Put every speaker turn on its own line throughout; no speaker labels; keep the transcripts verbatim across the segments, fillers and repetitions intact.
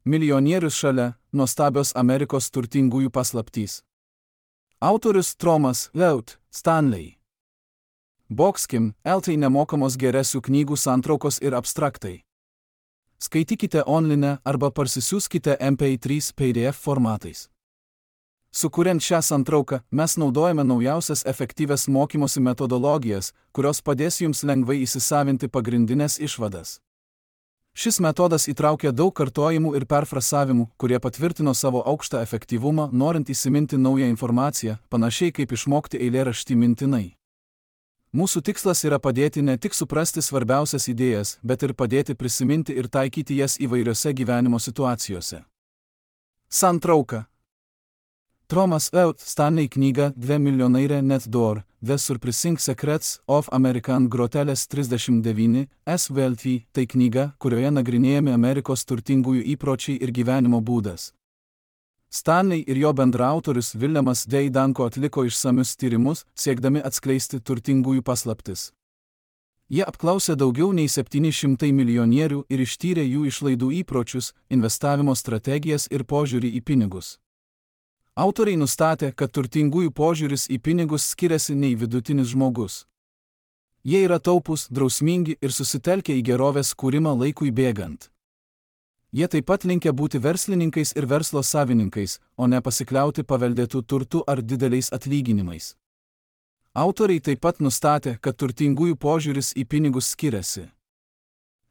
Milijonierius šalia nuostabios Amerikos turtingųjų paslaptys. Autorius Thomas Leut Stanley. Boxkim, eltai nemokamos geresių knygų santraukos ir abstraktai. Skaitykite online arba parsisiųskite M P trys P D F formatais. Sukuriant šią santrauką, mes naudojame naujausias efektyvias mokymosi metodologijas, kurios padės jums lengvai įsisavinti pagrindinės išvadas. Šis metodas įtraukia daug kartojimų ir perfrasavimų, kurie patvirtino savo aukštą efektyvumą, norint įsiminti naują informaciją, panašiai kaip išmokti eilėraštį mintinai. Mūsų tikslas yra padėti ne tik suprasti svarbiausias idėjas, bet ir padėti prisiminti ir taikyti jas įvairiose gyvenimo situacijose. Santrauka. Thomas Leut Stanley knyga Dve milijonaire net door, The Surprising Secrets of American Groteles trisdešimt devyni S V L T, tai knyga, kurioje nagrinėjami Amerikos turtingųjų įpročiai ir gyvenimo būdas. Stanley ir jo bendraautorius Williamas D. Danko atliko išsamius tyrimus, siekdami atskleisti turtingųjų paslaptis. Jie apklausė daugiau nei septyni šimtai milijonierių ir ištyrė jų išlaidų įpročius, investavimo strategijas ir požiūrį į pinigus. Autoriai nustatė, kad turtingųjų požiūris į pinigus skiriasi nei vidutinis žmogus. Jie yra taupūs, drausmingi ir susitelkę į gerovės kūrimą laikui bėgant. Jie taip pat linkę būti verslininkais ir verslo savininkais, o ne pasikliauti paveldėtų turtų ar dideliais atlyginimais. Autoriai taip pat nustatė, kad turtingųjų požiūris į pinigus skiriasi.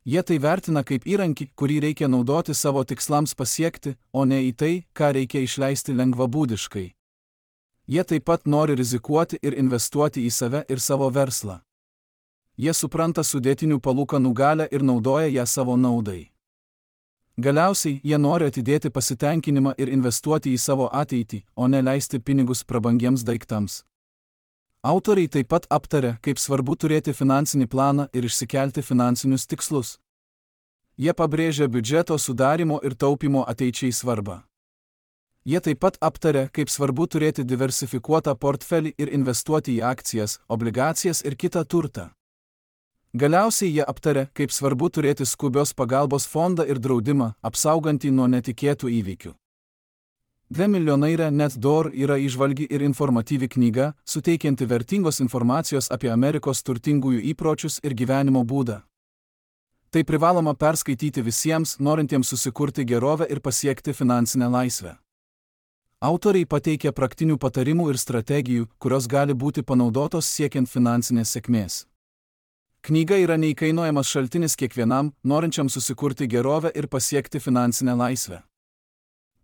Jie tai vertina kaip įrankį, kurį reikia naudoti savo tikslams pasiekti, o ne į tai, ką reikia išleisti lengvabūdiškai. Jie taip pat nori rizikuoti ir investuoti į save ir savo verslą. Jie supranta sudėtinių palūkanų galią ir naudoja ją savo naudai. Galiausiai, jie nori atidėti pasitenkinimą ir investuoti į savo ateitį, o ne leisti pinigus prabangiems daiktams. Autoriai taip pat aptarė, kaip svarbu turėti finansinį planą ir išsikelti finansinius tikslus. Jie pabrėžia biudžeto sudarimo ir taupimo ateičiai svarbą. Jie taip pat aptarė, kaip svarbu turėti diversifikuotą portfelį ir investuoti į akcijas, obligacijas ir kitą turtą. Galiausiai jie aptarė, kaip svarbu turėti skubios pagalbos fondą ir draudimą, apsaugantį nuo netikėtų įvykių. Dve milijonaire net door yra įžvalgi ir informatyvi knyga, suteikianti vertingos informacijos apie Amerikos turtingųjų įpročius ir gyvenimo būdą. Tai privaloma perskaityti visiems, norintiems susikurti gerovę ir pasiekti finansinę laisvę. Autoriai pateikia praktinių patarimų ir strategijų, kurios gali būti panaudotos siekiant finansinės sėkmės. Knyga yra neįkainojamas šaltinis kiekvienam, norinčiam susikurti gerovę ir pasiekti finansinę laisvę.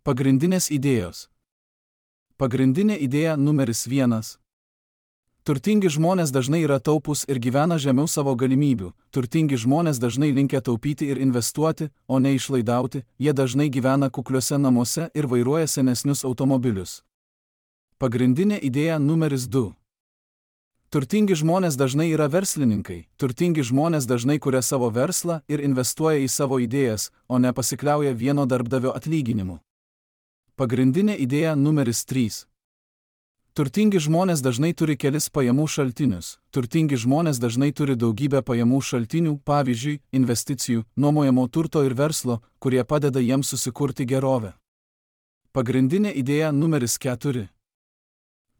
Pagrindinės idėjos. Pagrindinė idėja numeris vienas. Turtingi žmonės dažnai yra taupūs ir gyvena žemiau savo galimybių. Turtingi žmonės dažnai linkę taupyti ir investuoti, o ne išlaidauti. Jie dažnai gyvena kukliuose namuose ir vairuoja senesnius automobilius. Pagrindinė idėja numeris du. Turtingi žmonės dažnai yra verslininkai. Turtingi žmonės dažnai kuria savo verslą ir investuoja į savo idėjas, o ne pasikliauja vieno darbdavio atlyginimu. Pagrindinė idėja numeris trys. Turtingi žmonės dažnai turi kelis pajamų šaltinius. Turtingi žmonės dažnai turi daugybę pajamų šaltinių, pavyzdžiui, investicijų, nuomojamo turto ir verslo, kurie padeda jiems susikurti gerovę. Pagrindinė idėja numeris keturi.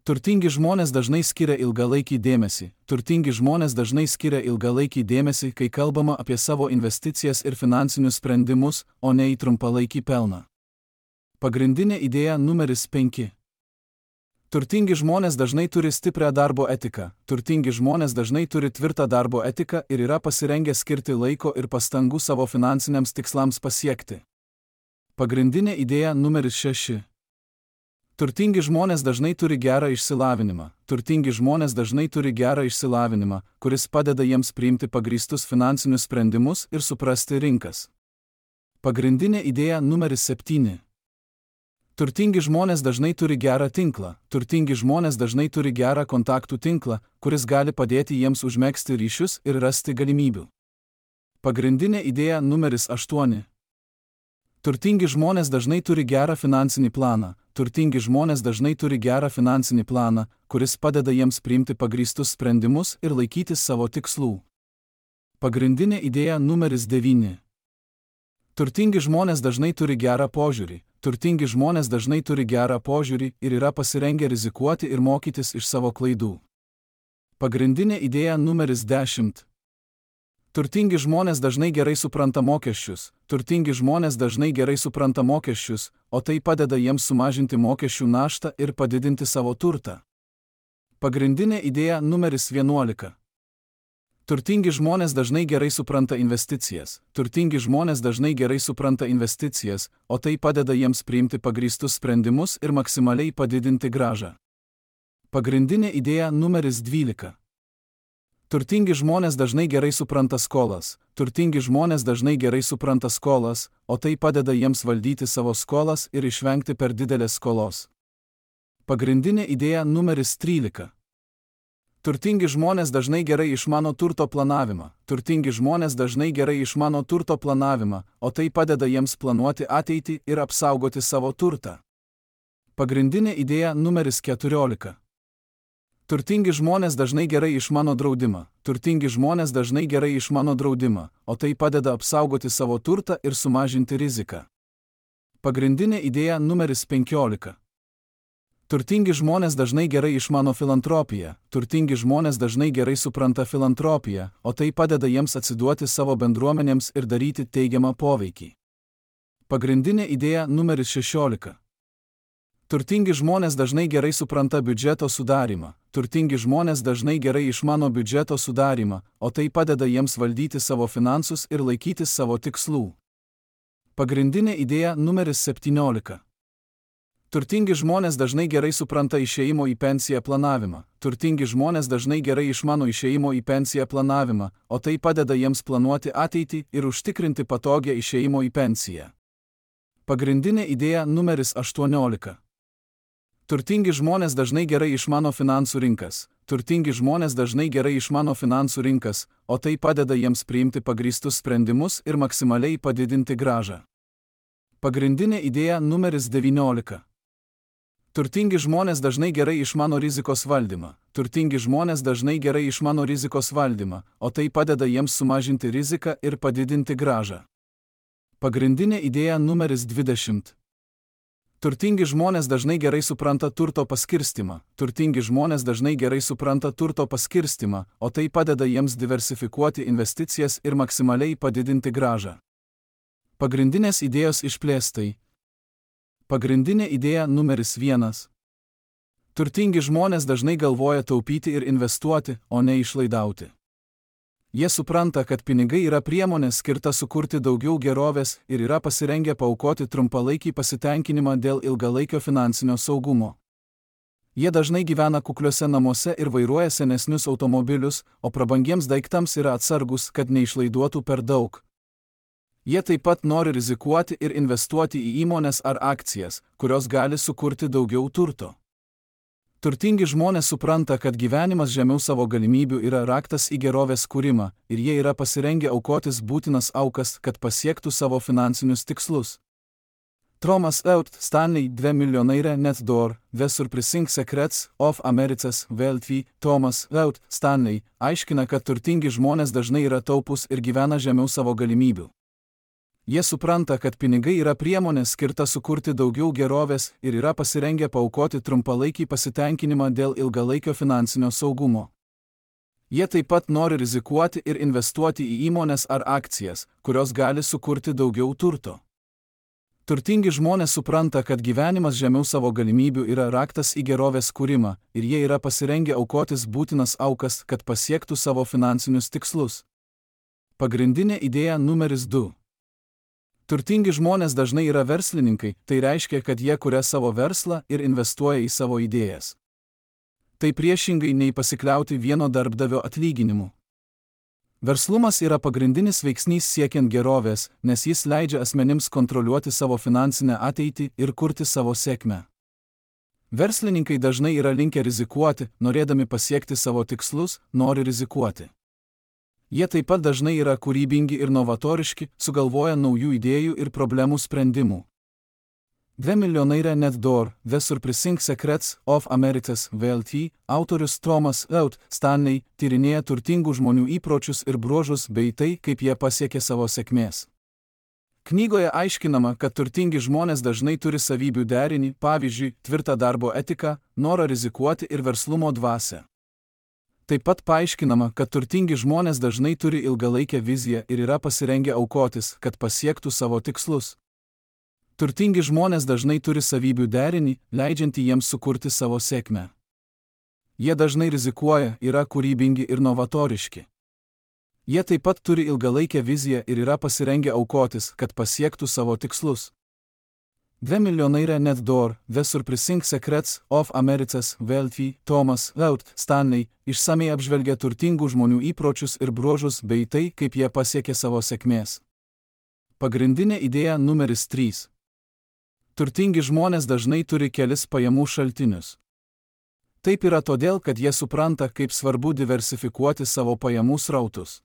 Turtingi žmonės dažnai skiria ilgalaikį dėmesį. Turtingi žmonės dažnai skiria ilgalaikį dėmesį, kai kalbama apie savo investicijas ir finansinius sprendimus, o ne į trumpalaikį pelną. Pagrindinė idėja numeris penki. Turtingi žmonės dažnai turi stiprią darbo etiką. Turtingi žmonės dažnai turi tvirtą darbo etiką ir yra pasirengę skirti laiko ir pastangų savo finansiniams tikslams pasiekti. Pagrindinė idėja numeris šeši. Turtingi žmonės dažnai turi gerą išsilavinimą. Turtingi žmonės dažnai turi gerą išsilavinimą, kuris padeda jiems priimti pagrįstus finansinius sprendimus ir suprasti rinkas. Pagrindinė idėja numeris septyni. Turtingi žmonės dažnai turi gerą tinklą. Turtingi žmonės dažnai turi gerą kontaktų tinklą, kuris gali padėti jiems užmegzti ryšius ir rasti galimybių. Pagrindinė idėja numeris aštuoni. Turtingi žmonės dažnai turi gerą finansinį planą. Turtingi žmonės dažnai turi gerą finansinį planą, kuris padeda jiems priimti pagrįstus sprendimus ir laikytis savo tikslų. Pagrindinė idėja numeris devyni. Turtingi žmonės dažnai turi gerą požiūrį, turtingi žmonės dažnai turi gerą požiūrį ir yra pasirengę rizikuoti ir mokytis iš savo klaidų. Pagrindinė idėja numeris dešimt. Turtingi žmonės dažnai gerai supranta mokesčius, turtingi žmonės dažnai gerai supranta mokesčius, o tai padeda jiems sumažinti mokesčių naštą ir padidinti savo turtą. Pagrindinė idėja numeris vienuolika. Turtingi žmonės dažnai gerai supranta investicijas, turtingi žmonės dažnai gerai supranta investicijas, o tai padeda jiems priimti pagrįstus sprendimus ir maksimaliai padidinti grąžą. Pagrindinė idėja numeris dvylika. Turtingi žmonės dažnai gerai supranta skolas, turtingi žmonės dažnai gerai supranta skolas, o tai padeda jiems valdyti savo skolas ir išvengti per didelės skolos. Pagrindinė idėja numeris trylika. Turtingi žmonės dažnai gerai išmano turto planavimą, turtingi žmonės dažnai gerai išmano turto planavimą, o tai padeda jiems planuoti ateitį ir apsaugoti savo turtą. Pagrindinė idėja numeris keturiolika. Turtingi žmonės dažnai gerai išmano draudimą, turtingi žmonės dažnai gerai išmano draudimą, o tai padeda apsaugoti savo turtą ir sumažinti riziką. Pagrindinė idėja numeris penkiolika. Turtingi žmonės dažnai gerai išmano filantropiją, turtingi žmonės dažnai gerai supranta filantropiją, o tai padeda jiems atsiduoti savo bendruomenėms ir daryti teigiamą poveikį. Pagrindinė idėja numeris šešiolika. Turtingi žmonės dažnai gerai supranta biudžeto sudarymą, turtingi žmonės dažnai gerai išmano biudžeto sudarymą, o tai padeda jiems valdyti savo finansus ir laikytis savo tikslų. Pagrindinė idėja numeris septyniolika. Turtingi žmonės dažnai gerai supranta išėjimo į pensiją planavimą, turtingi žmonės dažnai gerai išmano išėjimo į pensiją planavimą, o tai padeda jiems planuoti ateitį ir užtikrinti patogią išėjimo į pensiją. Pagrindinė idėja numeris aštuoniolika. Turtingi žmonės dažnai gerai išmano finansų rinkas, turtingi žmonės dažnai gerai išmano finansų rinkas, o tai padeda jiems priimti pagrįstus sprendimus ir maksimaliai padidinti grąžą. Pagrindinė idėja numeris devyniolika. Turtingi žmonės dažnai gerai išmano rizikos valdymą, turtingi žmonės dažnai gerai išmano rizikos valdymą, o tai padeda jiems sumažinti riziką ir padidinti grąžą. Pagrindinė idėja numeris dvidešimt. Turtingi žmonės dažnai gerai supranta turto paskirstimą, turtingi žmonės dažnai gerai supranta turto paskirstimą, o tai padeda jiems diversifikuoti investicijas ir maksimaliai padidinti grąžą. Pagrindinės idėjos išplėstai. Pagrindinė idėja numeris vienas. Turtingi žmonės dažnai galvoja taupyti ir investuoti, o ne išlaidauti. Jie supranta, kad pinigai yra priemonė skirta sukurti daugiau gerovės ir yra pasirengę paaukoti trumpalaikį pasitenkinimą dėl ilgalaikio finansinio saugumo. Jie dažnai gyvena kukliuose namuose ir vairuoja senesnius automobilius, o prabangiems daiktams yra atsargus, kad neišlaiduotų per daug. Jie taip pat nori rizikuoti ir investuoti į įmones ar akcijas, kurios gali sukurti daugiau turto. Turtingi žmonės supranta, kad gyvenimas žemiau savo galimybių yra raktas į gerovės kūrimą ir jie yra pasirengę aukotis būtinas aukas, kad pasiektų savo finansinius tikslus. Thomas Eut Stanley dve milijonaire net door, The Surprising Secrets of America's Wealthy. Thomas Eut Stanley aiškina, kad turtingi žmonės dažnai yra taupūs ir gyvena žemiau savo galimybių. Jie supranta, kad pinigai yra priemonė skirta sukurti daugiau gerovės ir yra pasirengę paaukoti trumpalaikį pasitenkinimą dėl ilgalaikio finansinio saugumo. Jie taip pat nori rizikuoti ir investuoti į įmones ar akcijas, kurios gali sukurti daugiau turto. Turtingi žmonės supranta, kad gyvenimas žemiau savo galimybių yra raktas į gerovės kūrimą ir jie yra pasirengę aukotis būtinas aukas, kad pasiektų savo finansinius tikslus. Pagrindinė idėja numeris du. Turtingi žmonės dažnai yra verslininkai, tai reiškia, kad jie kuria savo verslą ir investuoja į savo idėjas. Tai priešingai nei pasikliauti vieno darbdavio atlyginimu. Verslumas yra pagrindinis veiksnys siekiant gerovės, nes jis leidžia asmenims kontroliuoti savo finansinę ateitį ir kurti savo sėkmę. Verslininkai dažnai yra linkę rizikuoti, norėdami pasiekti savo tikslus, nori rizikuoti. Jie taip pat dažnai yra kūrybingi ir novatoriški, sugalvoja naujų idėjų ir problemų sprendimų. Dve milijonaire net door, The Surprising Secrets of America's Wealthy, autorius Thomas Eut Stanley tyrinėja turtingų žmonių įpročius ir bruožus bei tai, kaip jie pasiekė savo sėkmės. Knygoje aiškinama, kad turtingi žmonės dažnai turi savybių derinį, pavyzdžiui, tvirtą darbo etiką, norą rizikuoti ir verslumo dvasią. Taip pat paaiškinama, kad turtingi žmonės dažnai turi ilgalaikę viziją ir yra pasirengę aukotis, kad pasiektų savo tikslus. Turtingi žmonės dažnai turi savybių derinį, leidžiantį jiems sukurti savo sėkmę. Jie dažnai rizikuoja, yra kūrybingi ir novatoriški. Jie taip pat turi ilgalaikę viziją ir yra pasirengę aukotis, kad pasiektų savo tikslus. The Millionaire Net Door, The Surprising Secrets of America's Wealthy, Thomas Laut Stanley, išsamiai apžvelgia turtingų žmonių įpročius ir bruožus bei tai, kaip jie pasiekė savo sėkmės. Pagrindinė idėja numeris trys. Turtingi žmonės dažnai turi kelis pajamų šaltinius. Taip yra todėl, kad jie supranta, kaip svarbu diversifikuoti savo pajamų srautus.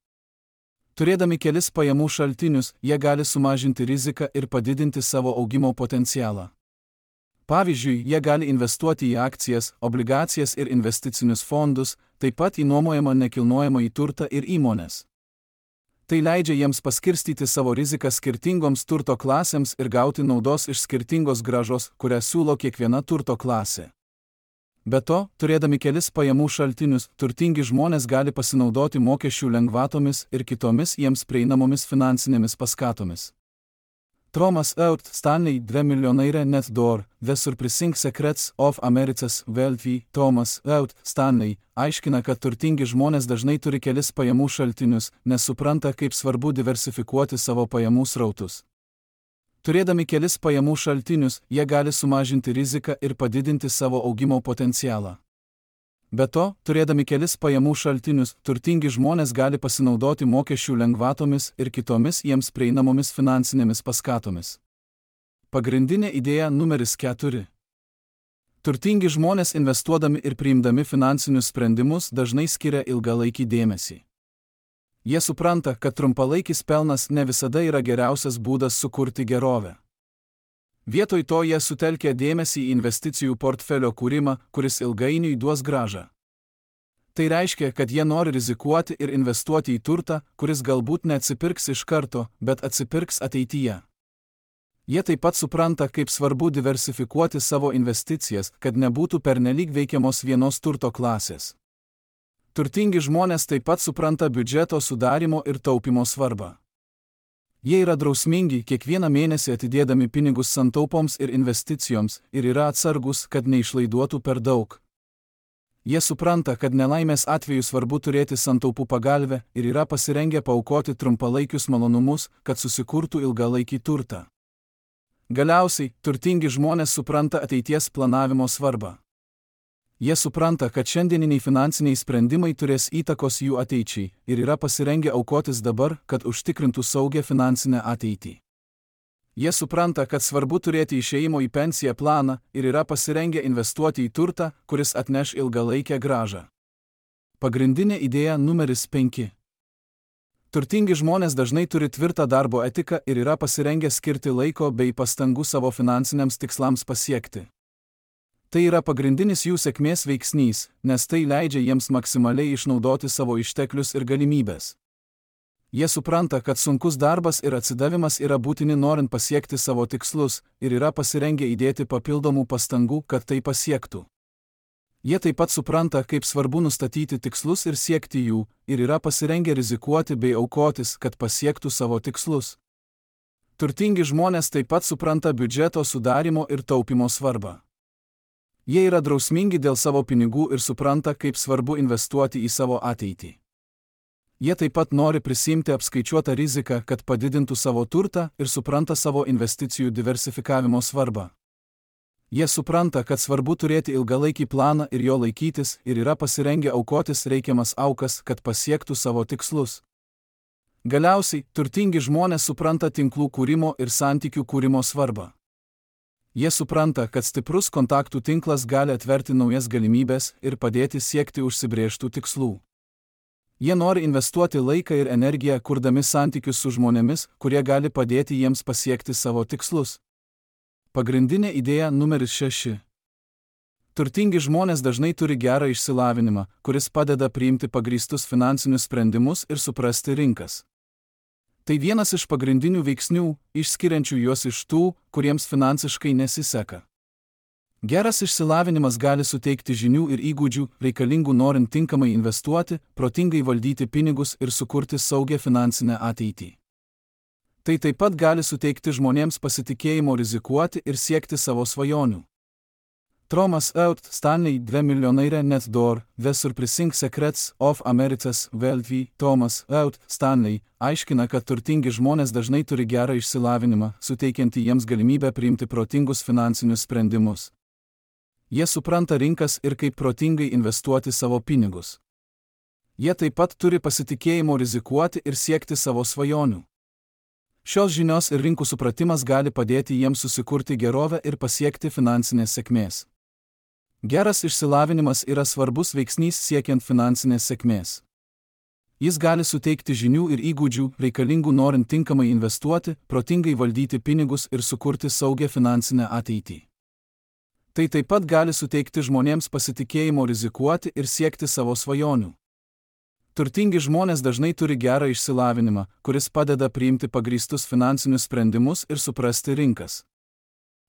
Turėdami kelis pajamų šaltinius, jie gali sumažinti riziką ir padidinti savo augimo potencialą. Pavyzdžiui, jie gali investuoti į akcijas, obligacijas ir investicinius fondus, taip pat į nuomojamą nekilnojamąjį turtą ir įmones. Tai leidžia jiems paskirstyti savo riziką skirtingoms turto klasėms ir gauti naudos iš skirtingos grąžos, kurią siūlo kiekviena turto klasė. Be to, turėdami kelis pajamų šaltinius, turtingi žmonės gali pasinaudoti mokesčių lengvatomis ir kitomis jiems prieinamomis finansinėmis paskatomis. Thomas Laut Stanley, The Millionaire Net Door, The Surprising Secrets of America's Wealthy, Thomas Laut Stanley, aiškina, kad turtingi žmonės dažnai turi kelis pajamų šaltinius, nes supranta, kaip svarbu diversifikuoti savo pajamų srautus. Turėdami kelis pajamų šaltinius, jie gali sumažinti riziką ir padidinti savo augimo potencialą. Be to, turėdami kelis pajamų šaltinius, turtingi žmonės gali pasinaudoti mokesčių lengvatomis ir kitomis jiems prieinamomis finansinėmis paskatomis. Pagrindinė idėja numeris keturi. Turtingi žmonės investuodami ir priimdami finansinius sprendimus dažnai skiria ilgalaikį dėmesį. Jie supranta, kad trumpalaikis pelnas ne visada yra geriausias būdas sukurti gerovę. Vietoj to jie sutelkia dėmesį į investicijų portfelio kūrimą, kuris ilgainiui duos grąžą. Tai reiškia, kad jie nori rizikuoti ir investuoti į turtą, kuris galbūt neatsipirks iš karto, bet atsipirks ateityje. Jie taip pat supranta, kaip svarbu diversifikuoti savo investicijas, kad nebūtų pernelyg veikiamos vienos turto klasės. Turtingi žmonės taip pat supranta biudžeto sudarimo ir taupimo svarbą. Jie yra drausmingi, kiekvieną mėnesį atidėdami pinigus santaupoms ir investicijoms ir yra atsargus, kad neišlaiduotų per daug. Jie supranta, kad nelaimės atveju svarbu turėti santaupų pagalvę ir yra pasirengę paaukoti trumpalaikius malonumus, kad susikurtų ilgalaikį turtą. Galiausiai, turtingi žmonės supranta ateities planavimo svarbą. Jie supranta, kad šiandieniniai finansiniai sprendimai turės įtakos jų ateičiai ir yra pasirengę aukotis dabar, kad užtikrintų saugią finansinę ateitį. Jie supranta, kad svarbu turėti išėjimo į pensiją planą ir yra pasirengę investuoti į turtą, kuris atneš ilgalaikę grąžą. Pagrindinė idėja numeris penki. Turtingi žmonės dažnai turi tvirtą darbo etiką ir yra pasirengę skirti laiko bei pastangų savo finansiniams tikslams pasiekti. Tai yra pagrindinis jų sėkmės veiksnys, nes tai leidžia jiems maksimaliai išnaudoti savo išteklius ir galimybės. Jie supranta, kad sunkus darbas ir atsidavimas yra būtini norint pasiekti savo tikslus ir yra pasirengę įdėti papildomų pastangų, kad tai pasiektų. Jie taip pat supranta, kaip svarbu nustatyti tikslus ir siekti jų, ir yra pasirengę rizikuoti bei aukotis, kad pasiektų savo tikslus. Turtingi žmonės taip pat supranta biudžeto sudarimo ir taupimo svarbą. Jie yra drausmingi dėl savo pinigų ir supranta, kaip svarbu investuoti į savo ateitį. Jie taip pat nori prisimti apskaičiuotą riziką, kad padidintų savo turtą ir supranta savo investicijų diversifikavimo svarbą. Jie supranta, kad svarbu turėti ilgalaikį planą ir jo laikytis ir yra pasirengę aukotis reikiamas aukas, kad pasiektų savo tikslus. Galiausiai, turtingi žmonės supranta tinklų kūrimo ir santykių kūrimo svarbą. Jie supranta, kad stiprus kontaktų tinklas gali atverti naujas galimybės ir padėti siekti užsibrėžtų tikslų. Jie nori investuoti laiką ir energiją, kurdami santykius su žmonėmis, kurie gali padėti jiems pasiekti savo tikslus. Pagrindinė idėja numeris šeši. Turtingi žmonės dažnai turi gerą išsilavinimą, kuris padeda priimti pagrįstus finansinius sprendimus ir suprasti rinkas. Tai vienas iš pagrindinių veiksnių, išskiriančių juos iš tų, kuriems finansiškai nesiseka. Geras išsilavinimas gali suteikti žinių ir įgūdžių, reikalingų norint tinkamai investuoti, protingai valdyti pinigus ir sukurti saugią finansinę ateitį. Tai taip pat gali suteikti žmonėms pasitikėjimo rizikuoti ir siekti savo svajonių. Thomas Out Stanley, dvi milijonaire net door, The Surprising Secrets of America's Wealthy. Thomas Out Stanley aiškina, kad turtingi žmonės dažnai turi gerą išsilavinimą, suteikiantį jiems galimybę priimti protingus finansinius sprendimus. Jie supranta rinkas ir kaip protingai investuoti savo pinigus. Jie taip pat turi pasitikėjimo rizikuoti ir siekti savo svajonių. Šios žinios ir rinkų supratimas gali padėti jiems susikurti gerovę ir pasiekti finansinės sėkmės. Geras išsilavinimas yra svarbus veiksnys siekiant finansinės sėkmės. Jis gali suteikti žinių ir įgūdžių, reikalingų norint tinkamai investuoti, protingai valdyti pinigus ir sukurti saugią finansinę ateitį. Tai taip pat gali suteikti žmonėms pasitikėjimo rizikuoti ir siekti savo svajonių. Turtingi žmonės dažnai turi gerą išsilavinimą, kuris padeda priimti pagrįstus finansinius sprendimus ir suprasti rinkas.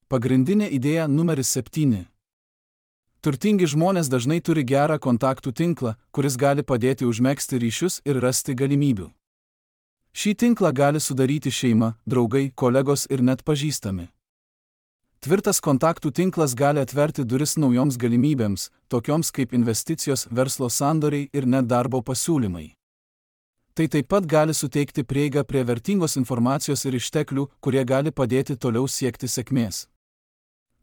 Pagrindinė idėja numeris septyni. Turtingi žmonės dažnai turi gerą kontaktų tinklą, kuris gali padėti užmegzti ryšius ir rasti galimybių. Šį tinklą gali sudaryti šeima, draugai, kolegos ir net pažįstami. Tvirtas kontaktų tinklas gali atverti duris naujoms galimybėms, tokioms kaip investicijos, verslo sandoriai ir net darbo pasiūlymai. Tai taip pat gali suteikti prieigą prie vertingos informacijos ir išteklių, kurie gali padėti toliau siekti sėkmės.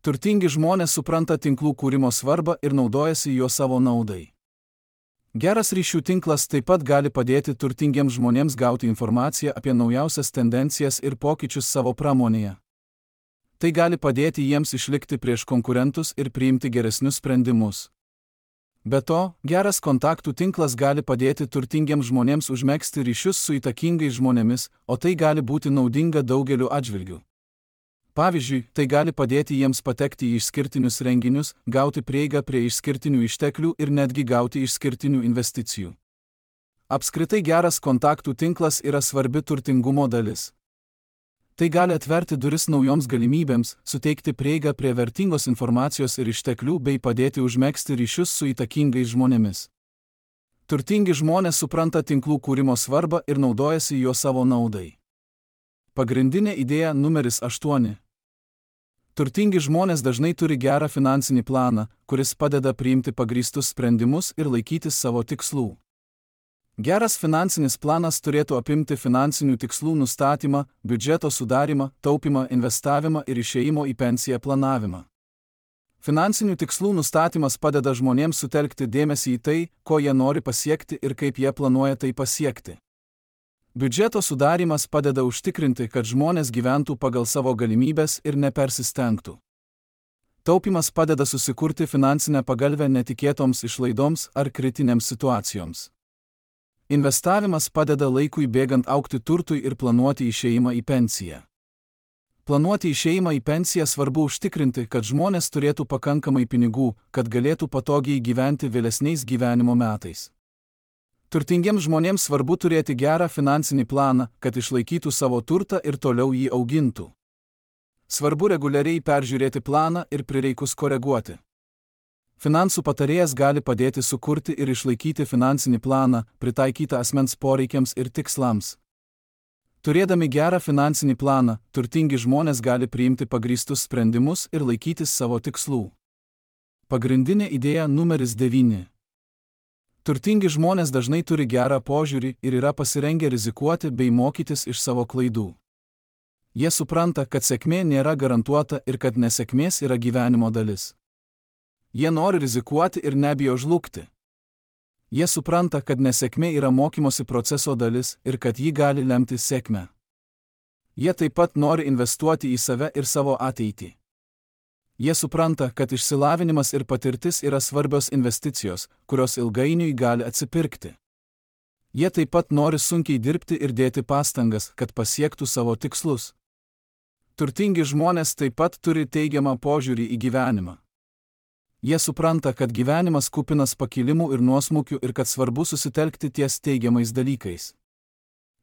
Turtingi žmonės supranta tinklų kūrimo svarbą ir naudojasi juo savo naudai. Geras ryšių tinklas taip pat gali padėti turtingiems žmonėms gauti informaciją apie naujausias tendencijas ir pokyčius savo pramonėje. Tai gali padėti jiems išlikti prieš konkurentus ir priimti geresnius sprendimus. Be to, geras kontaktų tinklas gali padėti turtingiems žmonėms užmegzti ryšius su įtakingais žmonėmis, o tai gali būti naudinga daugeliu atžvilgių. Pavyzdžiui, tai gali padėti jiems patekti į išskirtinius renginius, gauti prieigą prie išskirtinių išteklių ir netgi gauti išskirtinių investicijų. Apskritai geras kontaktų tinklas yra svarbi turtingumo dalis. Tai gali atverti duris naujoms galimybėms, suteikti prieigą prie vertingos informacijos ir išteklių bei padėti užmegzti ryšius su įtakingais žmonėmis. Turtingi žmonės supranta tinklų kūrimo svarbą ir naudojasi juo savo naudai. Pagrindinė idėja numeris aštuoni. Turtingi žmonės dažnai turi gerą finansinį planą, kuris padeda priimti pagrįstus sprendimus ir laikytis savo tikslų. Geras finansinis planas turėtų apimti finansinių tikslų nustatymą, biudžeto sudarymą, taupymą, investavimą ir išėjimo į pensiją planavimą. Finansinių tikslų nustatymas padeda žmonėms sutelkti dėmesį į tai, ko jie nori pasiekti ir kaip jie planuoja tai pasiekti. Biudžeto sudarymas padeda užtikrinti, kad žmonės gyventų pagal savo galimybes ir nepersistengtų. Taupimas padeda susikurti finansinę pagalvę netikėtoms išlaidoms ar kritinėms situacijoms. Investavimas padeda laikui bėgant augti turtui ir planuoti išėjimą į pensiją. Planuoti išėjimą į pensiją svarbu užtikrinti, kad žmonės turėtų pakankamai pinigų, kad galėtų patogiai gyventi vėlesniais gyvenimo metais. Turtingiems žmonėms svarbu turėti gerą finansinį planą, kad išlaikytų savo turtą ir toliau jį augintų. Svarbu reguliariai peržiūrėti planą ir prireikus koreguoti. Finansų patarėjas gali padėti sukurti ir išlaikyti finansinį planą, pritaikytą asmens poreikiams ir tikslams. Turėdami gerą finansinį planą, turtingi žmonės gali priimti pagrįstus sprendimus ir laikytis savo tikslų. Pagrindinė idėja numeris devyni. Turtingi žmonės dažnai turi gerą požiūrį ir yra pasirengę rizikuoti bei mokytis iš savo klaidų. Jie supranta, kad sėkmė nėra garantuota ir kad nesėkmės yra gyvenimo dalis. Jie nori rizikuoti ir nebijo žlugti. Jie supranta, kad nesėkmė yra mokymosi proceso dalis ir kad ji gali lemti sėkmę. Jie taip pat nori investuoti į save ir savo ateitį. Jie supranta, kad išsilavinimas ir patirtis yra svarbios investicijos, kurios ilgainiui gali atsipirkti. Jie taip pat nori sunkiai dirbti ir dėti pastangas, kad pasiektų savo tikslus. Turtingi žmonės taip pat turi teigiamą požiūrį į gyvenimą. Jie supranta, kad gyvenimas kupinas pakilimų ir nuosmukių ir kad svarbu susitelkti ties teigiamais dalykais.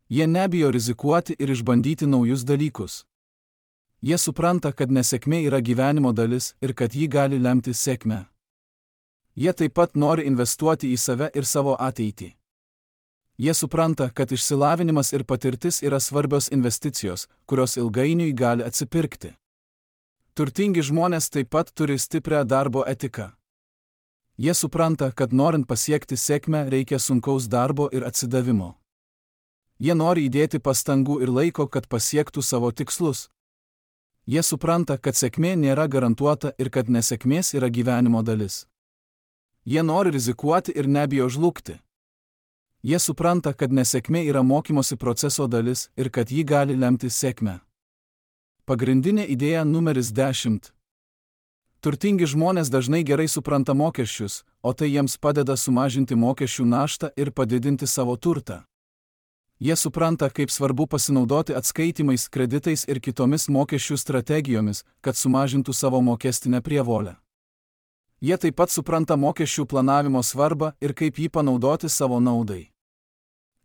Jie nebijo rizikuoti ir išbandyti naujus dalykus. Jie supranta, kad nesėkmė yra gyvenimo dalis ir kad ji gali lemti sėkmę. Jie taip pat nori investuoti į save ir savo ateitį. Jie supranta, kad išsilavinimas ir patirtis yra svarbios investicijos, kurios ilgainiui gali atsipirkti. Turtingi žmonės taip pat turi stiprią darbo etiką. Jie supranta, kad norint pasiekti sėkmę reikia sunkaus darbo ir atsidavimo. Jie nori įdėti pastangų ir laiko, kad pasiektų savo tikslus. Jie supranta, kad sėkmė nėra garantuota ir kad nesėkmės yra gyvenimo dalis. Jie nori rizikuoti ir nebijo žlugti. Jie supranta, kad nesėkmė yra mokymosi proceso dalis ir kad ji gali lemti sėkmę. Pagrindinė idėja numeris dešimt. Turtingi žmonės dažnai gerai supranta mokesčius, o tai jiems padeda sumažinti mokesčių naštą ir padidinti savo turtą. Jie supranta, kaip svarbu pasinaudoti atskaitimais, kreditais ir kitomis mokesčių strategijomis, kad sumažintų savo mokestinę prievolę. Jie taip pat supranta mokesčių planavimo svarbą ir kaip jį panaudoti savo naudai.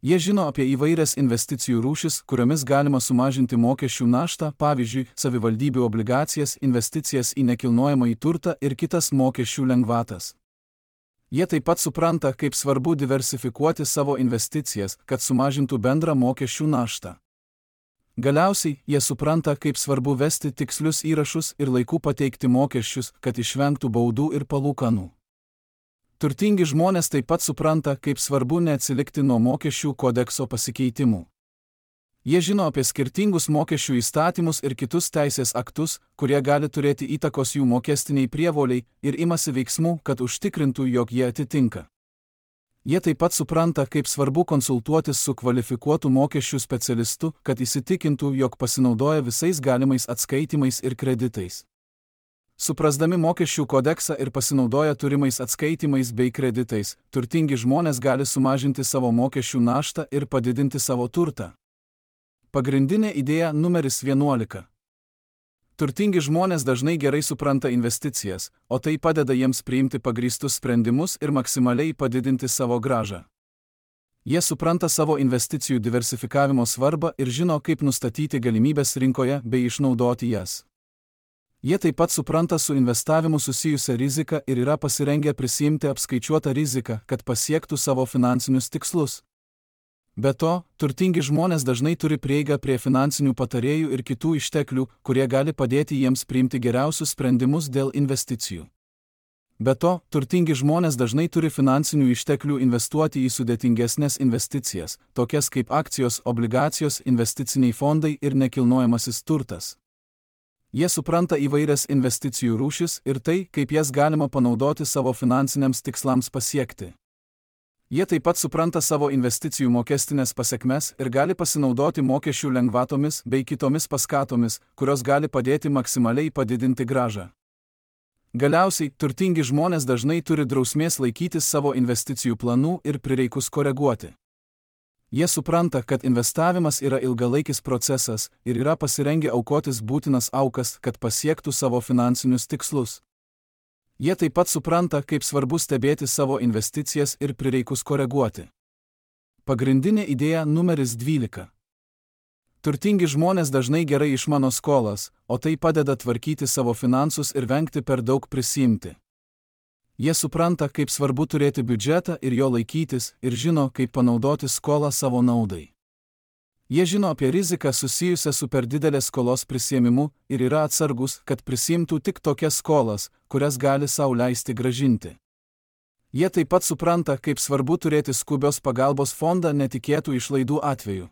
Jie žino apie įvairias investicijų rūšis, kuriomis galima sumažinti mokesčių naštą, pavyzdžiui, savivaldybių obligacijas, investicijas į nekilnojamąjį turtą ir kitas mokesčių lengvatas. Jie taip pat supranta, kaip svarbu diversifikuoti savo investicijas, kad sumažintų bendrą mokesčių naštą. Galiausiai, jie supranta, kaip svarbu vesti tikslius įrašus ir laiku pateikti mokesčius, kad išvengtų baudų ir palūkanų. Turtingi žmonės taip pat supranta, kaip svarbu neatsilikti nuo mokesčių kodekso pasikeitimų. Jie žino apie skirtingus mokesčių įstatymus ir kitus teisės aktus, kurie gali turėti įtakos jų mokestiniai prievoliai ir imasi veiksmų, kad užtikrintų, jog jie atitinka. Jie taip pat supranta, kaip svarbu konsultuotis su kvalifikuotu mokesčių specialistu, kad įsitikintų, jog pasinaudoja visais galimais atskaitimais ir kreditais. Suprasdami mokesčių kodeksą ir pasinaudoja turimais atskaitimais bei kreditais, turtingi žmonės gali sumažinti savo mokesčių naštą ir padidinti savo turtą. Pagrindinė idėja numeris vienuolika. Turtingi žmonės dažnai gerai supranta investicijas, o tai padeda jiems priimti pagrįstus sprendimus ir maksimaliai padidinti savo grąžą. Jie supranta savo investicijų diversifikavimo svarbą ir žino, kaip nustatyti galimybės rinkoje bei išnaudoti jas. Jie taip pat supranta su investavimu susijusią riziką ir yra pasirengę prisiimti apskaičiuotą riziką, kad pasiektų savo finansinius tikslus. Be to, turtingi žmonės dažnai turi prieigą prie finansinių patarėjų ir kitų išteklių, kurie gali padėti jiems priimti geriausius sprendimus dėl investicijų. Be to, turtingi žmonės dažnai turi finansinių išteklių investuoti į sudėtingesnės investicijas, tokias kaip akcijos, obligacijos, investiciniai fondai ir nekilnojamasis turtas. Jie supranta įvairias investicijų rūšis ir tai, kaip jas galima panaudoti savo finansiniams tikslams pasiekti. Jie taip pat supranta savo investicijų mokestinės pasekmes ir gali pasinaudoti mokesčių lengvatomis bei kitomis paskatomis, kurios gali padėti maksimaliai padidinti grąžą. Galiausiai, turtingi žmonės dažnai turi drausmės laikytis savo investicijų planų ir prireikus koreguoti. Jie supranta, kad investavimas yra ilgalaikis procesas ir yra pasirengę aukotis būtinas aukas, kad pasiektų savo finansinius tikslus. Jie taip pat supranta, kaip svarbu stebėti savo investicijas ir prireikus koreguoti. Pagrindinė idėja numeris dvylika. Turtingi žmonės dažnai gerai išmano skolas, o tai padeda tvarkyti savo finansus ir vengti per daug prisiimti. Jie supranta, kaip svarbu turėti biudžetą ir jo laikytis, ir žino, kaip panaudoti skolą savo naudai. Jie žino apie riziką susijusią su per didelės skolos prisiėmimu ir yra atsargus, kad prisiimtų tik tokias skolas, kurias gali sau leisti gražinti. Jie taip pat supranta, kaip svarbu turėti skubios pagalbos fondą netikėtų išlaidų atveju.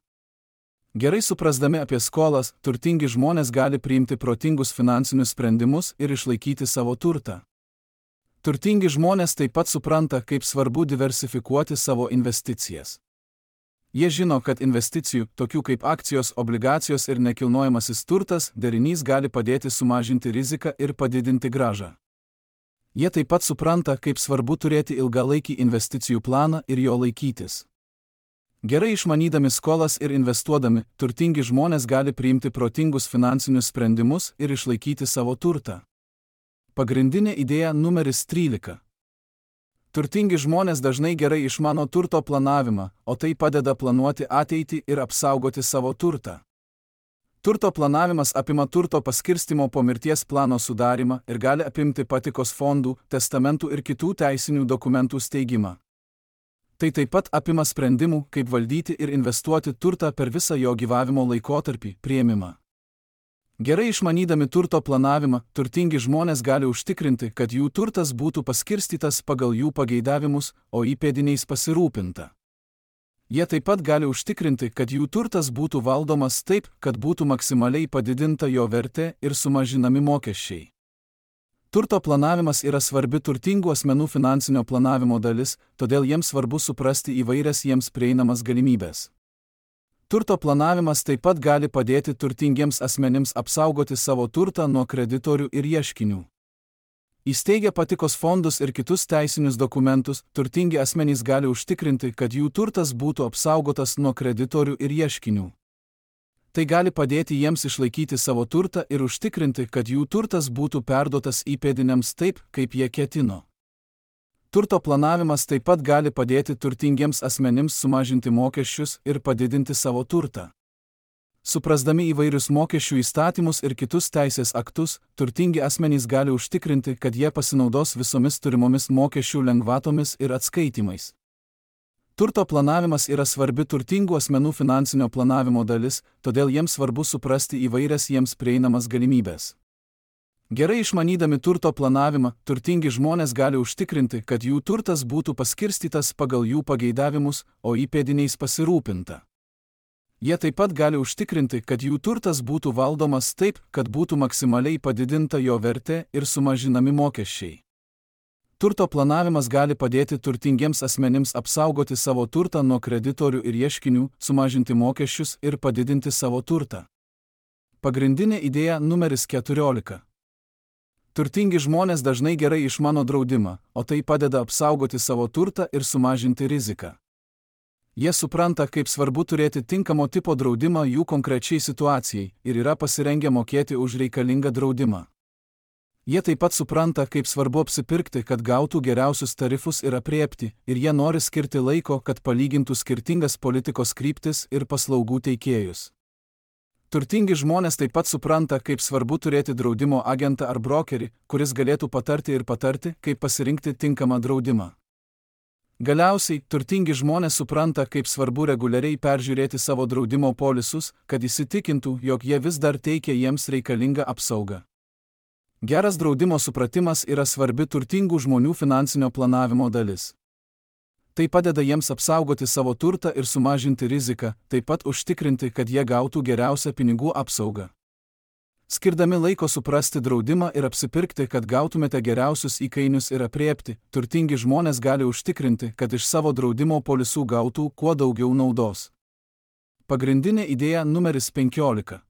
Gerai suprasdami apie skolas, turtingi žmonės gali priimti protingus finansinius sprendimus ir išlaikyti savo turtą. Turtingi žmonės taip pat supranta, kaip svarbu diversifikuoti savo investicijas. Jie žino, kad investicijų, tokių kaip akcijos, obligacijos ir nekilnojamasis turtas, derinys gali padėti sumažinti riziką ir padidinti grąžą. Jie taip pat supranta, kaip svarbu turėti ilgalaikį investicijų planą ir jo laikytis. Gerai išmanydami skolas ir investuodami, turtingi žmonės gali priimti protingus finansinius sprendimus ir išlaikyti savo turtą. Pagrindinė idėja numeris trylika. Turtingi žmonės dažnai gerai išmano turto planavimą, o tai padeda planuoti ateitį ir apsaugoti savo turtą. Turto planavimas apima turto paskirstimo po mirties plano sudarimą ir gali apimti patikos fondų, testamentų ir kitų teisinių dokumentų steigimą. Tai taip pat apima sprendimų, kaip valdyti ir investuoti turtą per visą jo gyvavimo laikotarpį, priėmimą. Gerai išmanydami turto planavimą, turtingi žmonės gali užtikrinti, kad jų turtas būtų paskirstytas pagal jų pageidavimus, o įpėdiniais pasirūpinta. Jie taip pat gali užtikrinti, kad jų turtas būtų valdomas taip, kad būtų maksimaliai padidinta jo vertė ir sumažinami mokesčiai. Turto planavimas yra svarbi turtingų asmenų finansinio planavimo dalis, todėl jiems svarbu suprasti įvairias jiems prieinamas galimybės. Turto planavimas taip pat gali padėti turtingiems asmenims apsaugoti savo turtą nuo kreditorių ir ieškinių. Įsteigę patikos fondus ir kitus teisinius dokumentus, turtingi asmenys gali užtikrinti, kad jų turtas būtų apsaugotas nuo kreditorių ir ieškinių. Tai gali padėti jiems išlaikyti savo turtą ir užtikrinti, kad jų turtas būtų perduotas įpėdiniams taip, kaip jie ketino. Turto planavimas taip pat gali padėti turtingiems asmenims sumažinti mokesčius ir padidinti savo turtą. Suprasdami įvairius mokesčių įstatymus ir kitus teisės aktus, turtingi asmenys gali užtikrinti, kad jie pasinaudos visomis turimomis mokesčių lengvatomis ir atskaitimais. Turto planavimas yra svarbi turtingų asmenų finansinio planavimo dalis, todėl jiems svarbu suprasti įvairias jiems prieinamas galimybės. Gerai išmanydami turto planavimą, turtingi žmonės gali užtikrinti, kad jų turtas būtų paskirstytas pagal jų pageidavimus, o įpėdiniais pasirūpinta. Jie taip pat gali užtikrinti, kad jų turtas būtų valdomas taip, kad būtų maksimaliai padidinta jo vertė ir sumažinami mokesčiai. Turto planavimas gali padėti turtingiems asmenims apsaugoti savo turtą nuo kreditorių ir ieškinių, sumažinti mokesčius ir padidinti savo turtą. Pagrindinė idėja numeris keturiolika. Turtingi žmonės dažnai gerai išmano draudimą, o tai padeda apsaugoti savo turtą ir sumažinti riziką. Jie supranta, kaip svarbu turėti tinkamo tipo draudimą jų konkrečiai situacijai ir yra pasirengę mokėti už reikalingą draudimą. Jie taip pat supranta, kaip svarbu apsipirkti, kad gautų geriausius tarifus ir apriepti, ir jie nori skirti laiko, kad palygintų skirtingas politikos kryptis ir paslaugų teikėjus. Turtingi žmonės taip pat supranta, kaip svarbu turėti draudimo agentą ar brokerį, kuris galėtų patarti ir patarti, kaip pasirinkti tinkamą draudimą. Galiausiai, turtingi žmonės supranta, kaip svarbu reguliariai peržiūrėti savo draudimo polisus, kad įsitikintų, jog jie vis dar teikia jiems reikalingą apsaugą. Geras draudimo supratimas yra svarbi turtingų žmonių finansinio planavimo dalis. Tai padeda jiems apsaugoti savo turtą ir sumažinti riziką, taip pat užtikrinti, kad jie gautų geriausią pinigų apsaugą. Skirdami laiko suprasti draudimą ir apsipirkti, kad gautumėte geriausius įkainius ir apriepti, turtingi žmonės gali užtikrinti, kad iš savo draudimo polisų gautų kuo daugiau naudos. Pagrindinė idėja numeris penkiolika.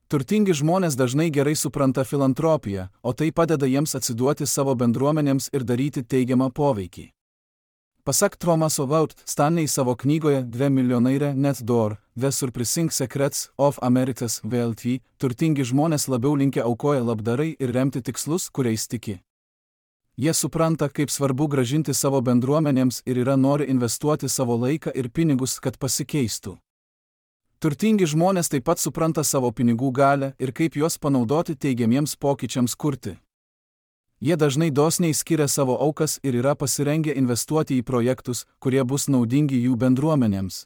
Turtingi žmonės dažnai gerai supranta filantropiją, o tai padeda jiems atsiduoti savo bendruomenėms ir daryti teigiamą poveikį. Pasak Thomaso Wout Stanley savo knygoje Dve milijonaire net door, The Surprising Secrets of America's Wealthy, turtingi žmonės labiau linkę aukoja labdarai ir remti tikslus, kuriais tiki. Jie supranta, kaip svarbu gražinti savo bendruomenėms ir yra nori investuoti savo laiką ir pinigus, kad pasikeistų. Turtingi žmonės taip pat supranta savo pinigų galią ir kaip juos panaudoti teigiamiems pokyčiams kurti. Jie dažnai dosniai skiria savo aukas ir yra pasirengę investuoti į projektus, kurie bus naudingi jų bendruomenėms.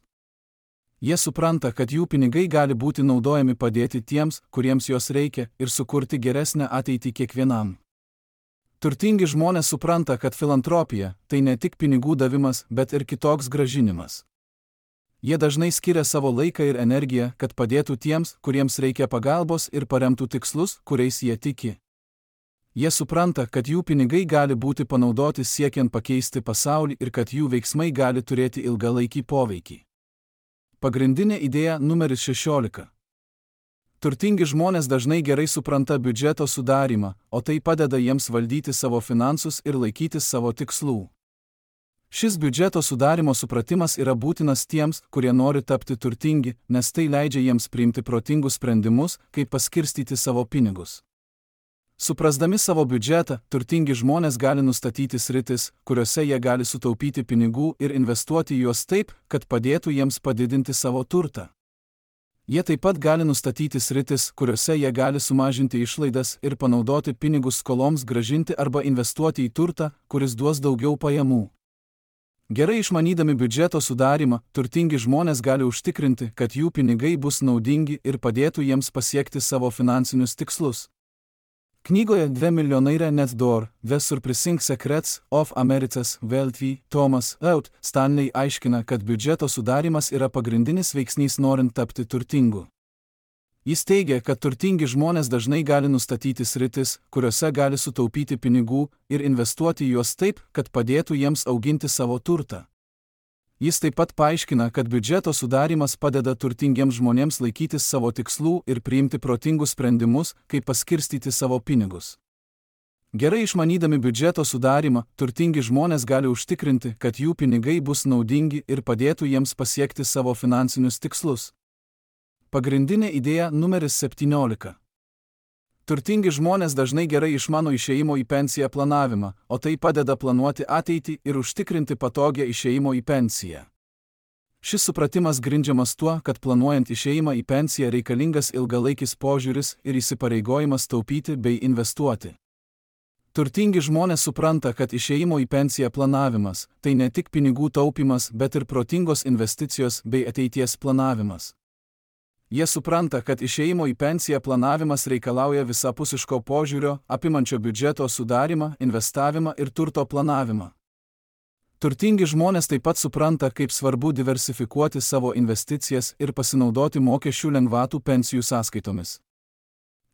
Jie supranta, kad jų pinigai gali būti naudojami padėti tiems, kuriems jos reikia, ir sukurti geresnę ateitį kiekvienam. Turtingi žmonės supranta, kad filantropija – tai ne tik pinigų davimas, bet ir kitoks gražinimas. Jie dažnai skiria savo laiką ir energiją, kad padėtų tiems, kuriems reikia pagalbos ir paremtų tikslus, kuriais jie tiki. Jie supranta, kad jų pinigai gali būti panaudoti siekiant pakeisti pasaulį ir kad jų veiksmai gali turėti ilgalaikį poveikį. Pagrindinė idėja numeris šešiolika. Turtingi žmonės dažnai gerai supranta biudžeto sudarymą, o tai padeda jiems valdyti savo finansus ir laikytis savo tikslų. Šis biudžeto sudarimo supratimas yra būtinas tiems, kurie nori tapti turtingi, nes tai leidžia jiems priimti protingus sprendimus, kaip paskirstyti savo pinigus. Suprasdami savo biudžetą, turtingi žmonės gali nustatyti sritis, kuriuose jie gali sutaupyti pinigų ir investuoti juos taip, kad padėtų jiems padidinti savo turtą. Jie taip pat gali nustatyti sritis, kuriuose jie gali sumažinti išlaidas ir panaudoti pinigus skoloms grąžinti arba investuoti į turtą, kuris duos daugiau pajamų. Gerai išmanydami biudžeto sudarimą, turtingi žmonės gali užtikrinti, kad jų pinigai bus naudingi ir padėtų jiems pasiekti savo finansinius tikslus. Knygoje Dve milijonaire net door, The Surprising Secrets of America's Wealthy, Thomas Out Stanley aiškina, kad biudžeto sudarimas yra pagrindinis veiksnys norint tapti turtingu. Jis teigia, kad turtingi žmonės dažnai gali nustatyti sritis, kuriuose gali sutaupyti pinigų ir investuoti juos taip, kad padėtų jiems auginti savo turtą. Jis taip pat paaiškina, kad biudžeto sudarimas padeda turtingiems žmonėms laikytis savo tikslų ir priimti protingus sprendimus, kaip paskirstyti savo pinigus. Gerai išmanydami biudžeto sudarimą, turtingi žmonės gali užtikrinti, kad jų pinigai bus naudingi ir padėtų jiems pasiekti savo finansinius tikslus. Pagrindinė idėja numeris septyniolika. Turtingi žmonės dažnai gerai išmano išėjimo į pensiją planavimą, o tai padeda planuoti ateitį ir užtikrinti patogią išėjimo į pensiją. Šis supratimas grindžiamas tuo, kad planuojant išėjimą į pensiją reikalingas ilgalaikis požiūris ir įsipareigojimas taupyti bei investuoti. Turtingi žmonės supranta, kad išėjimo į pensiją planavimas – tai ne tik pinigų taupimas, bet ir protingos investicijos bei ateities planavimas. Jie supranta, kad išėjimo į pensiją planavimas reikalauja visapusiško požiūrio, apimančio biudžeto sudarimą, investavimą ir turto planavimą. Turtingi žmonės taip pat supranta, kaip svarbu diversifikuoti savo investicijas ir pasinaudoti mokesčių lengvatų pensijų sąskaitomis.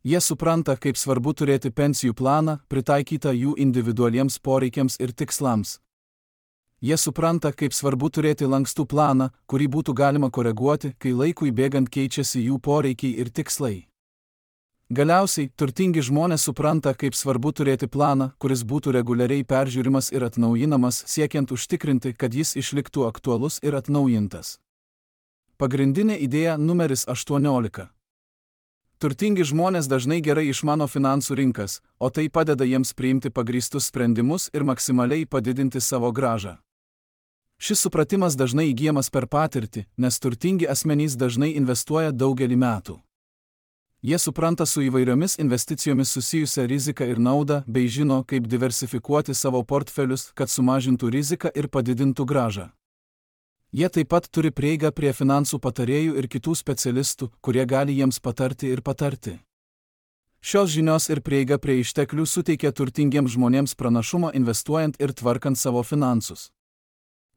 Jie supranta, kaip svarbu turėti pensijų planą, pritaikytą jų individualiems poreikiams ir tikslams. Jie supranta, kaip svarbu turėti lankstų planą, kurį būtų galima koreguoti, kai laikui bėgant keičiasi jų poreikiai ir tikslai. Galiausiai, turtingi žmonės supranta, kaip svarbu turėti planą, kuris būtų reguliariai peržiūrimas ir atnaujinamas, siekiant užtikrinti, kad jis išliktų aktualus ir atnaujintas. Pagrindinė idėja numeris aštuoniolika. Turtingi žmonės dažnai gerai išmano finansų rinkas, o tai padeda jiems priimti pagrįstus sprendimus ir maksimaliai padidinti savo grąžą. Šis supratimas dažnai įgyjamas per patirtį, nes turtingi asmenys dažnai investuoja daugelį metų. Jie supranta su įvairiomis investicijomis susijusią riziką ir naudą, bei žino, kaip diversifikuoti savo portfelius, kad sumažintų riziką ir padidintų grąžą. Jie taip pat turi prieigą prie finansų patarėjų ir kitų specialistų, kurie gali jiems patarti ir patarti. Šios žinios ir prieiga prie išteklių suteikia turtingiems žmonėms pranašumą investuojant ir tvarkant savo finansus.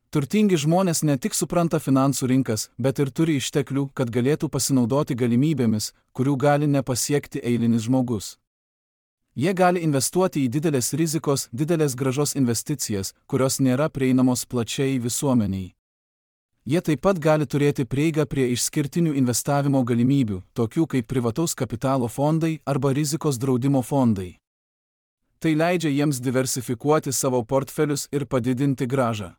Turtingi žmonės ne tik supranta finansų rinkas, bet ir turi išteklių, kad galėtų pasinaudoti galimybėmis, kurių gali nepasiekti eilinis žmogus. Jie gali investuoti į didelės rizikos, didelės grąžos investicijas, kurios nėra prieinamos plačiai visuomeniai. Jie taip pat gali turėti prieigą prie išskirtinių investavimo galimybių, tokių kaip privataus kapitalo fondai arba rizikos draudimo fondai. Tai leidžia jiems diversifikuoti savo portfelius ir padidinti grąžą.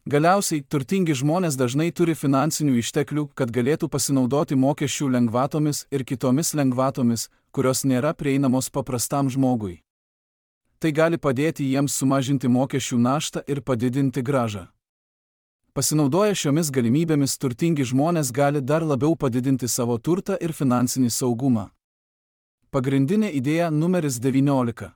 Galiausiai, turtingi žmonės dažnai turi finansinių išteklių, kad galėtų pasinaudoti mokesčių lengvatomis ir kitomis lengvatomis, kurios nėra prieinamos paprastam žmogui. Tai gali padėti jiems sumažinti mokesčių naštą ir padidinti grąžą. Pasinaudoję šiomis galimybėmis, turtingi žmonės gali dar labiau padidinti savo turtą ir finansinį saugumą. Pagrindinė idėja numeris devyniolika.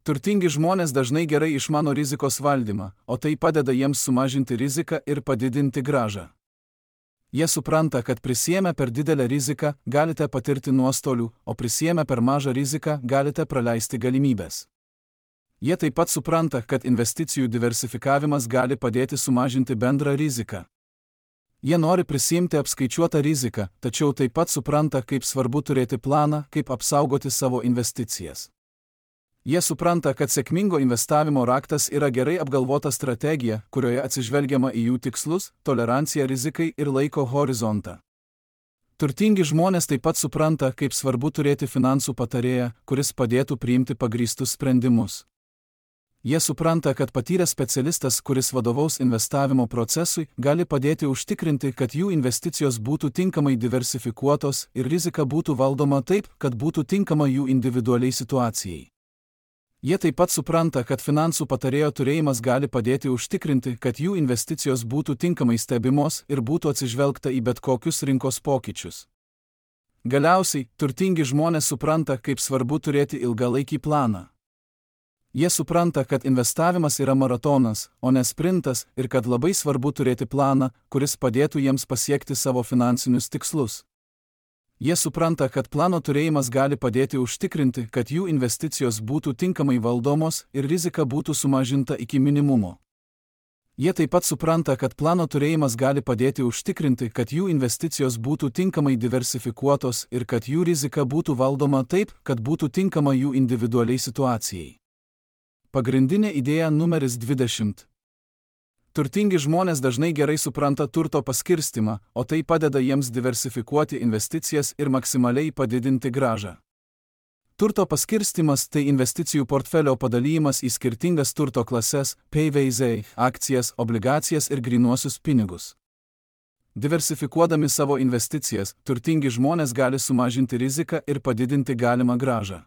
Turtingi žmonės dažnai gerai išmano rizikos valdymą, o tai padeda jiems sumažinti riziką ir padidinti grąžą. Jie supranta, kad prisiėmę per didelę riziką galite patirti nuostolių, o prisiėmę per mažą riziką galite praleisti galimybės. Jie taip pat supranta, kad investicijų diversifikavimas gali padėti sumažinti bendrą riziką. Jie nori prisiimti apskaičiuotą riziką, tačiau taip pat supranta, kaip svarbu turėti planą, kaip apsaugoti savo investicijas. Jie supranta, kad sėkmingo investavimo raktas yra gerai apgalvota strategija, kurioje atsižvelgiama į jų tikslus, toleranciją rizikai ir laiko horizontą. Turtingi žmonės taip pat supranta, kaip svarbu turėti finansų patarėją, kuris padėtų priimti pagrįstus sprendimus. Jie supranta, kad patyręs specialistas, kuris vadovaus investavimo procesui, gali padėti užtikrinti, kad jų investicijos būtų tinkamai diversifikuotos ir rizika būtų valdoma taip, kad būtų tinkama jų individualiai situacijai. Jie taip pat supranta, kad finansų patarėjo turėjimas gali padėti užtikrinti, kad jų investicijos būtų tinkamai stebimos ir būtų atsižvelgta į bet kokius rinkos pokyčius. Galiausiai, turtingi žmonės supranta, kaip svarbu turėti ilgalaikį planą. Jie supranta, kad investavimas yra maratonas, o ne sprintas, ir kad labai svarbu turėti planą, kuris padėtų jiems pasiekti savo finansinius tikslus. Jie supranta, kad plano turėjimas gali padėti užtikrinti, kad jų investicijos būtų tinkamai valdomos ir rizika būtų sumažinta iki minimumo. Jie taip pat supranta, kad plano turėjimas gali padėti užtikrinti, kad jų investicijos būtų tinkamai diversifikuotos ir kad jų rizika būtų valdoma taip, kad būtų tinkama jų individualiai situacijai. Pagrindinė idėja numeris dvidešimt. Turtingi žmonės dažnai gerai supranta turto paskirstimą, o tai padeda jiems diversifikuoti investicijas ir maksimaliai padidinti grąžą. Turto paskirstimas tai investicijų portfelio padalymas į skirtingas turto klases, P V Z, akcijas, obligacijas ir grynuosius pinigus. Diversifikuodami savo investicijas, turtingi žmonės gali sumažinti riziką ir padidinti galimą grąžą.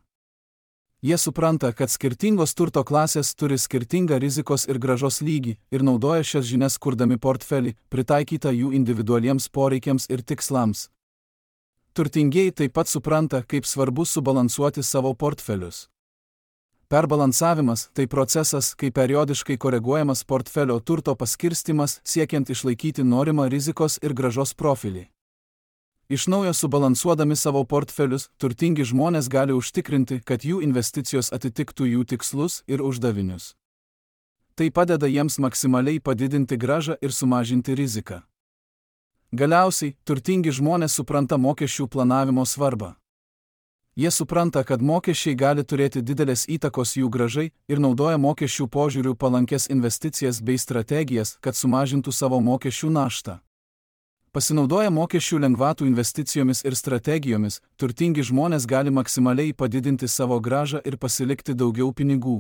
Jie supranta, kad skirtingos turto klasės turi skirtingą rizikos ir grąžos lygį ir naudoja šias žinias kurdami portfelį, pritaikytą jų individualiems poreikiams ir tikslams. Turtingieji taip pat supranta, kaip svarbu subalansuoti savo portfelius. Perbalansavimas tai procesas, kai periodiškai koreguojamas portfelio turto paskirstimas siekiant išlaikyti norimą rizikos ir grąžos profilį. Iš naujo subalansuodami savo portfelius, turtingi žmonės gali užtikrinti, kad jų investicijos atitiktų jų tikslus ir uždavinius. Tai padeda jiems maksimaliai padidinti grąžą ir sumažinti riziką. Galiausiai, turtingi žmonės supranta mokesčių planavimo svarbą. Jie supranta, kad mokesčiai gali turėti didelės įtakos jų grąžai ir naudoja mokesčių požiūrių palankes investicijas bei strategijas, kad sumažintų savo mokesčių naštą. Pasinaudoję mokesčių lengvatų investicijomis ir strategijomis, turtingi žmonės gali maksimaliai padidinti savo grąžą ir pasilikti daugiau pinigų.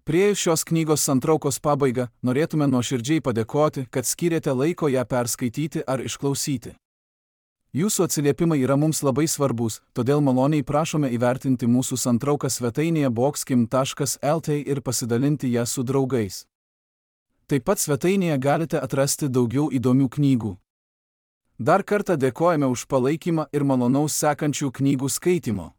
Priėjus šios knygos santraukos pabaigą, norėtume nuoširdžiai padėkoti, kad skyrėte laiko ją perskaityti ar išklausyti. Jūsų atsiliepimai yra mums labai svarbus, todėl maloniai prašome įvertinti mūsų santrauką svetainėje boxkim taškas el t ir pasidalinti ją su draugais. Taip pat svetainėje galite atrasti daugiau įdomių knygų. Dar kartą dėkojame už palaikymą ir malonaus sekančių knygų skaitimo.